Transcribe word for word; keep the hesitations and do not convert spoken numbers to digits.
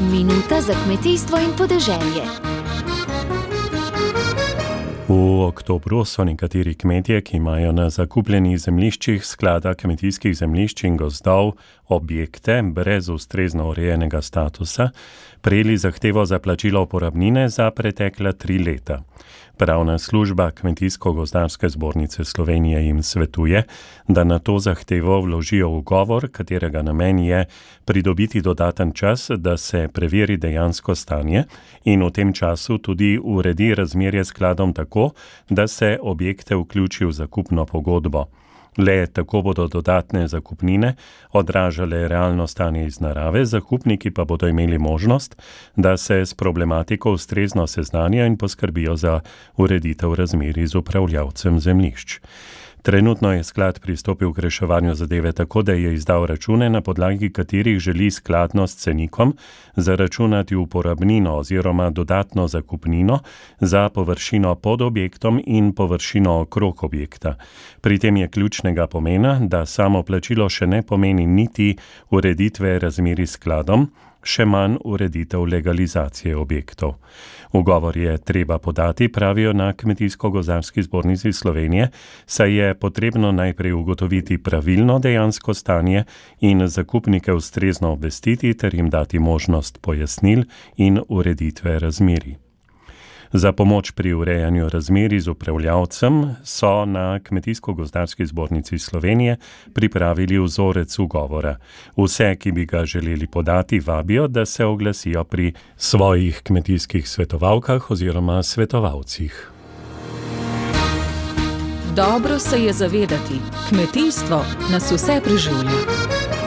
Minuta za kmetijstvo in podeželje. V oktobru so nekateri kmetje, ki imajo na zakupljenih zemljiščih sklada kmetijskih zemljišč in gozdov objekte brez ustrezno urejenega statusa, prejeli zahtevo za plačilo uporabnine za pretekla tri leta. Pravna služba Kmetijsko-gozdarske zbornice Slovenije jim svetuje, da na to zahtevo vložijo ugovor, katerega namen je pridobiti dodaten čas, da se preveri dejansko stanje in v tem času tudi uredi razmerje skladom tako, da se objekte vključi v zakupno pogodbo. Le tako bodo dodatne zakupnine odražale realno stanje iz narave, zakupniki pa bodo imeli možnost, da se s problematiko ustrezno seznanijo in poskrbijo za ureditev razmerij z upravljavcem zemljišč. Trenutno je sklad pristopil k reševanju zadeve tako, da je izdal račune, na podlagi katerih želi skladno s cenikom zaračunati uporabnino oziroma dodatno zakupnino za površino pod objektom in površino okrog objekta. Pri tem je ključnega pomena, da samo plačilo še ne pomeni niti ureditve razmerij s skladom, še manj ureditev legalizacije objektov. Ugovor je treba podati, pravijo na Kmetijsko-gozdarski zbornici Slovenije, saj je potrebno najprej ugotoviti pravilno dejansko stanje in zakupnike ustrezno obvestiti ter jim dati možnost pojasnil in ureditve razmerij. Za pomoč pri urejanju razmerij z upravljavcem so na Kmetijsko-gozdarski zbornici Slovenije pripravili vzorec ugovora. Vse, ki bi ga želeli podati, vabijo, da se oglasijo pri svojih kmetijskih svetovalkah oziroma svetovalcih. Dobro se je zavedati, kmetijstvo nas vse preživlja.